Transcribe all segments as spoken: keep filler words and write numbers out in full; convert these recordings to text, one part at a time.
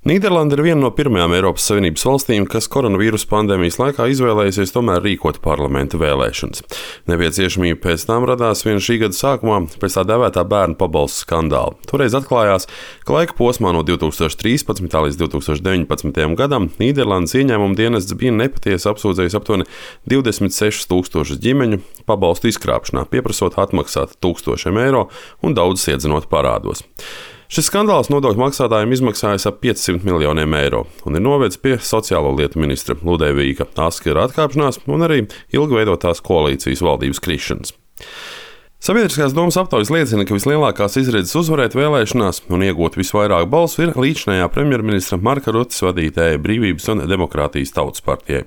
Nīderlanda ir viena no pirmajām Eiropas Savienības valstīm, kas koronavīrusa pandēmijas laikā izvēlējusies tomēr rīkot parlamenta vēlēšanas. Nepieciešamība pēc tam radās vien šī gada sākumā pēc tā dēvētā bērnu pabalstu skandāla. Toreiz atklājās, ka laika posmā no divi tūkstoši trīspadsmitā līdz divi tūkstoši deviņpadsmitajam gadam Nīderlandes ieņēmuma dienests bija nepatiesi apsūdzējis aptuveni divdesmit sešus tūkstošus ģimeņu pabalstu izkrāpšanā, pieprasot atmaksāt tūkstošiem eiro un daudzus iedzinot parādos. Šis skandāls nodokļu maksātājiem izmaksājas ap piecsimt miljoniem eiro un ir novedis pie sociālo lietu ministra Ludevīga Askera atkāpšanās un arī ilgveidotās koalīcijas valdības krišanas. Sabiedriskās domas aptaujas liecina, ka vislielākās izredzes uzvarēt vēlēšanās un iegūt visvairāk balsu ir līdzinājā premjerministra Marka Ruttes vadītājai Brīvības un demokrātijas tautas partijai.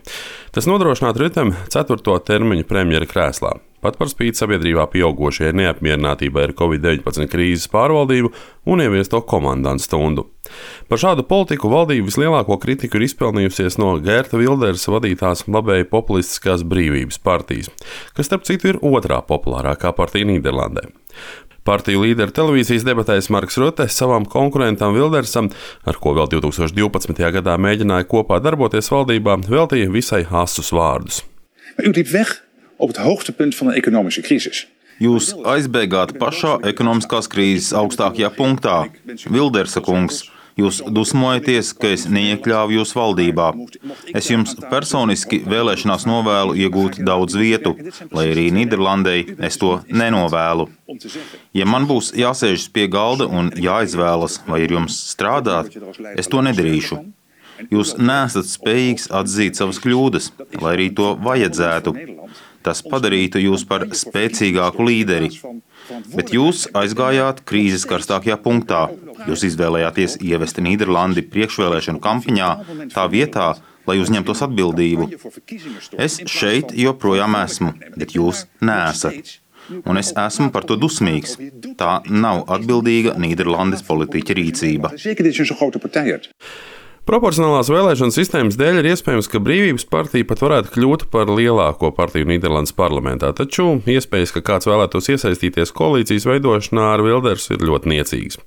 Tas nodrošinātu Rutem ceturto termiņu premjera krēslā. Pat par spīti sabiedrībā pieaugošajai neapmierinātībai ar covid deviņpadsmit krīzes pārvaldību un ieviesto komandantu stundu. Par šādu politiku valdība vislielāko kritiku ir izpelnījusies no Geerta Wildersa vadītās labēji populistiskās Brīvības partijas, kas starp citu ir otrā populārākā partija Nīderlandē. Partiju līdera televīzijas debatēs Marks Rutte savam konkurentam Wildersam, ar ko vēl divi tūkstoši divpadsmitajā gadā mēģināja kopā darboties valdībā, veltīja visai asus vārdus. Op het hoogtepunt van de economische crisis. Jūs aizbēgāt pašā ekonomiskās krīzes augstākajā punktā. Wildersa kungs, jūs dusmojaties, ka es neiekļāvu jūs valdībā. Es jums personiski vēlēšanās novēlu iegūt daudz vietu, lai arī Nīderlandei es to nenovēlu. Ja man būs jāsēžas pie galda un jāizvēlas, vai ar jums strādāt, es to nedarīšu. Jūs neesat spējīgs atzīt savas kļūdas, lai arī to vajadzētu. Tas padarītu jūs par spēcīgāku līderi. Bet jūs aizgājāt krīzes karstākajā punktā. Jūs izvēlējāties ievest Nīderlandi priekšvēlēšanu kampaņā tā vietā, lai uzņemtos atbildību. Es šeit joprojām esmu, bet jūs neesat. Un es esmu par to dusmīgs. Tā nav atbildīga Nīderlandes politiķa rīcība. Proporcionālās vēlēšana sistēmas dēļ ir iespējams, ka Brīvības partija pat varētu kļūt par lielāko partiju Nīderlandes parlamentā, taču iespējas, ka kāds vēlētos iesaistīties koalīcijas veidošanā ar Wildersu, ir ļoti niecīgas.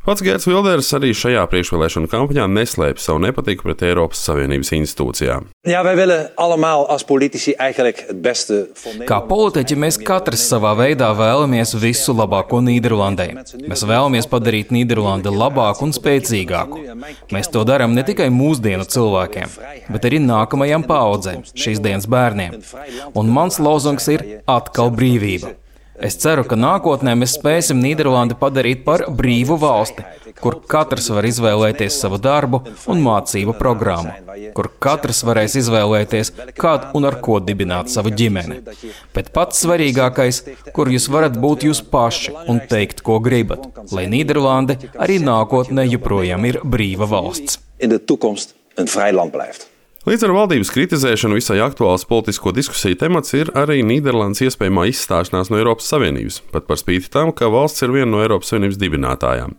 Pats Geerts Wilders arī šajā priekšvēlēšanu kampaņā neslēpj savu nepatiku pret Eiropas Savienības institūcijām. Ja, wij willen allemaal als politici eigenlijk het beste van Nederland. Kā politiķi mēs katrs savā veidā vēlamies visu labāko Nīderlandē. Mēs vēlamies padarīt Nīderlandi labāku un spēcīgāku. Mēs to darām ne tikai mūsdienu cilvēkiem, bet arī nākamajām paaudzēm, šīs dienas bērniem. Un mans lozungs ir atkal brīvība. Es ceru, ka nākotnē mēs spēsim Nīderlandi padarīt par brīvu valsti, kur katrs var izvēlēties savu darbu un mācību programmu, kur katrs varēs izvēlēties, kādu un ar ko dibināt savu ģimeni. Bet pats svarīgākais, kur jūs varat būt jūs paši un teikt, ko gribat, lai Nīderlande arī nākotnē joprojām ir brīva valsts. In de toekomst een vrij land blijft. Līdz ar valdības kritizēšanu visai aktuāls politisko diskusiju temats ir arī Nīderlandes iespējamā izstāšanās no Eiropas Savienības, pat par spīti tam, ka valsts ir viena no Eiropas Savienības dibinātājām.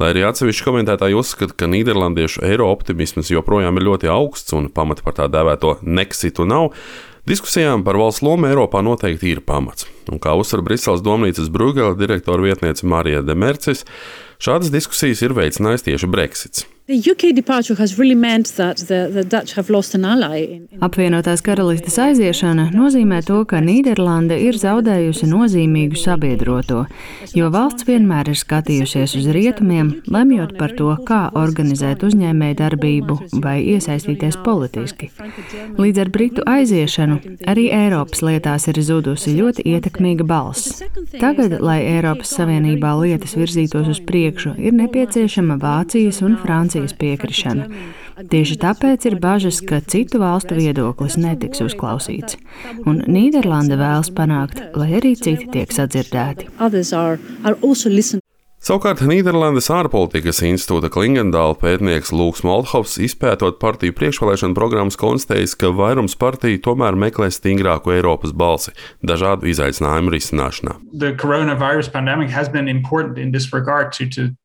Lai arī atsevišķi komentētāji uzskata, ka nīderlandiešu eiro optimisms joprojām ir ļoti augsts un pamata par tā dēvēto Nexitu nav, diskusijām par valsts lomu Eiropā noteikti ir pamats. Un kā uzsver Briseles domnīcas Brugela direktora vietniece Marija de Mercis, šādas diskusijas ir veicinājis tieši Brexits. Apvienotās karalistes aiziešana nozīmē to, ka Nīderlande ir zaudējusi nozīmīgu sabiedroto, jo valsts vienmēr ir skatījusies uz rietumiem, lemjot par to, kā organizēt uzņēmēju darbību vai iesaistīties politiski. Līdz ar Britu aiziešanu arī Eiropas lietās ir zudusi ļoti ietekmīga balss. Tagad, lai Eiropas Savienībā lietas virzītos uz priekšu, ir nepieciešama Vācijas un Francijas piekrišana. Tieši tāpēc ir bažas, ka citu valstu viedoklis netiks uzklausīts. Un Nīderlande vēlas panākt, lai arī citi tiek sadzirdēti. Savukārt Nīderlandes ārpolitikas institūta Klingendāla pētnieks Lūks Moldhovs, izpētot partiju priekšvēlēšanu programmas, konstatējis, ka vairums partiju tomēr meklē stingrāku Eiropas balsi dažādu izaicinājumu risināšanā.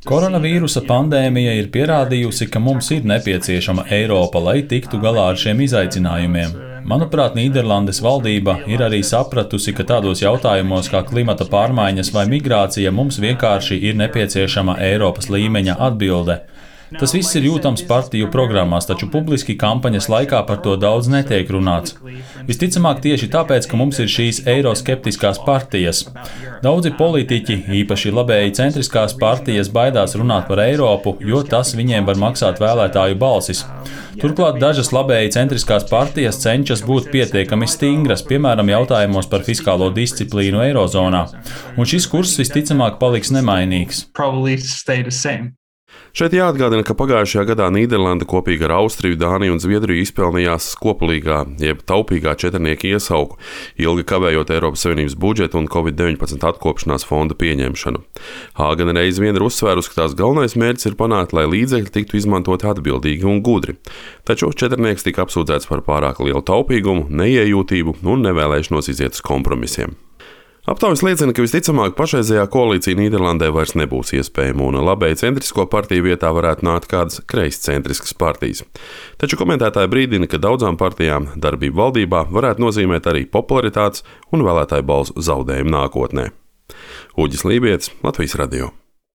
Koronavīrusa pandēmija ir pierādījusi, ka mums ir nepieciešama Eiropa, lai tiktu galā ar šiem izaicinājumiem. Manuprāt, Nīderlandes valdība ir arī sapratusi, ka tādos jautājumos kā klimata pārmaiņas vai migrācija mums vienkārši ir nepieciešama Eiropas līmeņa atbilde. Tas viss ir jūtams partiju programmās, taču publiski kampaņas laikā par to daudz netiek runāts. Visticamāk tieši tāpēc, ka mums ir šīs eiroskeptiskās partijas. Daudzi politiķi, īpaši labēji centriskās partijas, baidās runāt par Eiropu, jo tas viņiem var maksāt vēlētāju balsis. Turklāt dažas labēji centriskās partijas cenšas būt pietiekami stingras, piemēram, jautājumos par fiskālo disciplīnu Eirozonā. Un šis kurs visticamāk paliks nemainīgs. Šeit jāatgādina, ka pagājušajā gadā Nīderlanda kopīgi ar Austriju, Dāniju un Zviedriju izpelnījās koplīgā, jeb taupīgā četrnieka iesauku, ilgi kavējot Eiropas Savienības budžetu un covid deviņpadsmit atkopšanās fonda pieņemšanu. Hāgena reiz vien ir uzsvērusi, ka tās galvenais mērķis ir panākt, lai līdzekļi tiktu izmantoti atbildīgi un gudri. Taču četrnieks tika apsūdzēts par pārāk lielu taupīgumu, neiejūtību un nevēlēšanos iziet uz kompromisiem. Aptaujas liecina, ka visticamāk pašreizējā koalīcija Nīderlandē vairs nebūs iespējama un labēji centrisko partiju vietā varētu nākt kādas kreiscentriskas partijas. Taču komentētāji brīdina, ka daudzām partijām darbība valdībā varētu nozīmēt arī popularitātes un vēlētāju balsu zaudējumu nākotnē. Uģis Lībietis, Latvijas radio.